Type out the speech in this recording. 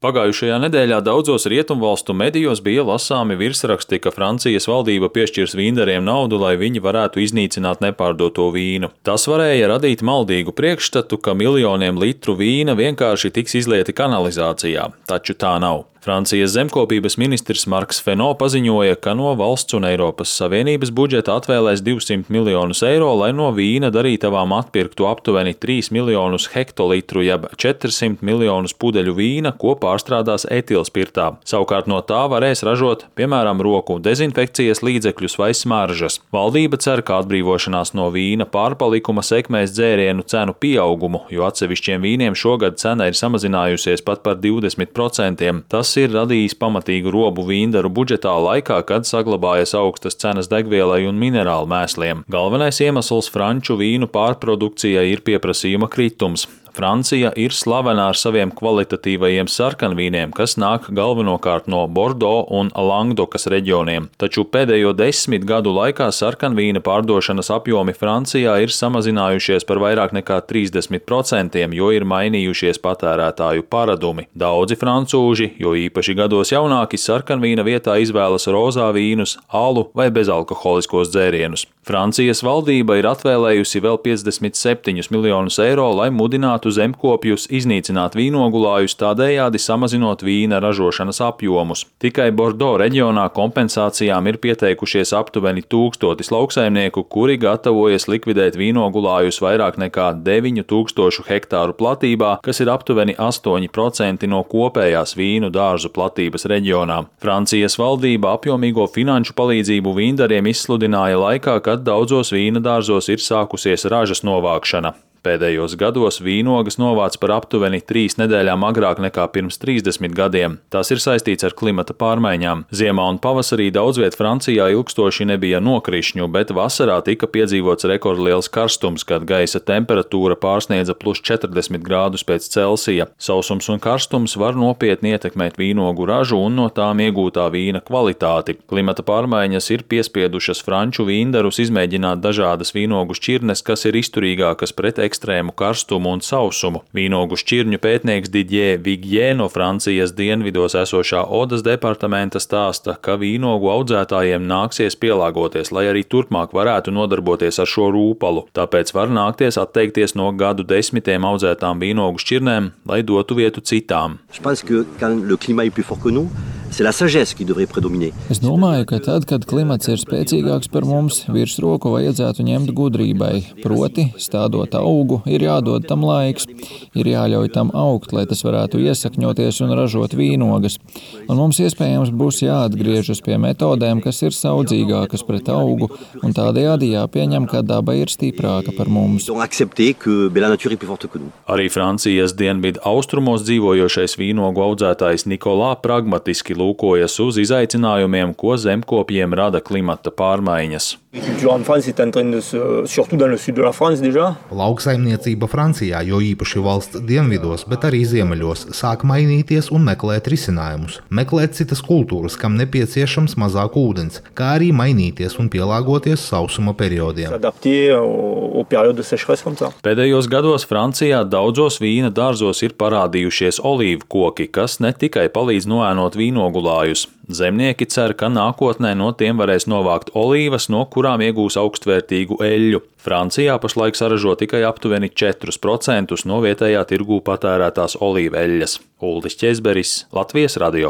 Pagājušajā nedēļā daudzos rietumvalstu medijos bija lasāmi virsraksti, ka Francijas valdība piešķirs vīndariem naudu, lai viņi varētu iznīcināt nepārdoto vīnu. Tas varēja radīt maldīgu priekšstatu, ka miljoniem litru vīna vienkārši tiks izlieti kanalizācijā, taču tā nav. Francijas zemkopības ministrs Marks Fesneau paziņoja, ka no valsts un Eiropas Savienības budžeta atvēlēs 200 miljonus eiro, lai no vīna darītavām atpirktu aptuveni 3 miljonus hektolitru, jeb 400 miljonus pudeļu vīna, ko pārstrādās etilspirtā. Savukārt no tā varēs ražot, piemēram, roku dezinfekcijas līdzekļus vai smaržas. Valdība cer, ka atbrīvošanās no vīna pārpalikuma sekmēs dzērienu cenu pieaugumu, jo atsevišķiem vīniem šogad cena ir samazinājusies pat par 20%. Tas ir radījis pamatīgu robu vīndaru budžetā laikā, kad saglabājas augstas cenas degvielai un minerālu mēsliem. Galvenais iemesls franču vīnu pārprodukcijai ir pieprasījuma kritums. Francija ir slavena ar saviem kvalitatīvajiem sarkanvīniem, kas nāk galvenokārt no Bordeaux un Langdokas reģioniem. Taču pēdējo 10 gadu laikā sarkanvīna pārdošanas apjomi Francijā ir samazinājušies par vairāk nekā 30%, jo ir mainījušies patērētāju paradumi. Daudzi francūži, jo īpaši gados jaunāki, sarkanvīna vietā izvēlas rozā vīnus, alu vai bezalkoholiskos dzērienus. Francijas valdība ir atvēlējusi vēl 57 miljonus eiro, lai mudinātu zemkopjus iznīcināt vīnogulājus, tādējādi samazinot vīna ražošanas apjomus. Tikai Bordeaux reģionā kompensācijām ir pieteikušies aptuveni 1000 lauksaimnieku, kuri gatavojas likvidēt vīnogulājus vairāk nekā 9000 hektāru platībā, kas ir aptuveni 8% no kopējās vīnu dārzu platības reģionā. Francijas valdība apjomīgo finanšu palīdzību vīndariem izsludināja laikā, kad daudzos vīna dārzos ir sākusies ražas novākšana. Pēdējos gados vīnogas novāc par aptuveni 3 nedēļām agrāk nekā pirms 30 gadiem. Tas ir saistīts ar klimata pārmaiņām. Ziemā un pavasarī daudzviet Francijā ilgstoši nebija nokrišņu, bet vasarā tika piedzīvots rekordliels karstums, kad gaisa temperatūra pārsniedza +40 grādus pēc Celsija. Sausums un karstums var nopietni ietekmēt vīnogu ražu un no tām iegūtā vīna kvalitāti. Klimata pārmaiņas ir piespiedušas franču vīndarus izmēģināt dažādas vīnogu šķirnes, kas ir izturīgākas pret ekstrēmu karstumu un sausumu. Vīnogu šķirņu pētnieks Didier Vigier no Francijas dienvidos esošā Odas departamenta stāsta, ka vīnogu audzētājiem nāksies pielāgoties, lai arī turpmāk varētu nodarboties ar šo rūpalu. Tāpēc var nākties atteikties no gadu desmitiem audzētām vīnogu šķirnēm, lai dotu vietu citām. Es domāju, ka tad, kad klimats ir spēcīgāks par mums, virsroku vajadzētu ņemt gudrībai, proti, stādot augu, ir jādod tam laiks, ir jāļauj tam augt, lai tas varētu iesakņoties un ražot vīnogas. Un mums iespējams būs jāatgriežas pie metodēm, kas ir saudzīgākas pret augu, un tādējādi jāpieņem, ka daba ir stiprāka par mums. Arī Francijas dienvidu austrumos dzīvojošais vīnogu audzētājs Nikolā pragmatiski lūkojas uz izaicinājumiem, ko zemkopjiem rada klimata pārmaiņas. Lauksaimniecība Francijā, jo īpaši valsts dienvidos, bet arī ziemeļos, sāk mainīties un meklēt risinājumus. Meklēt citas kultūras, kam nepieciešams mazāk ūdens, kā arī mainīties un pielāgoties sausuma periodiem. Pēdējos gados Francijā daudzos vīna dārzos ir parādījušies olīvu koki, kas ne tikai palīdz noēnot vīnogulājus. Zemnieki cer, ka nākotnē no tiem varēs novākt olīvas, no kurām iegūs augstvērtīgu eļļu. Francijā pašlaik saražo tikai aptuveni 4% no vietējā tirgū patērētās olīveļļas. Uldis Ķezberis, Latvijas radio.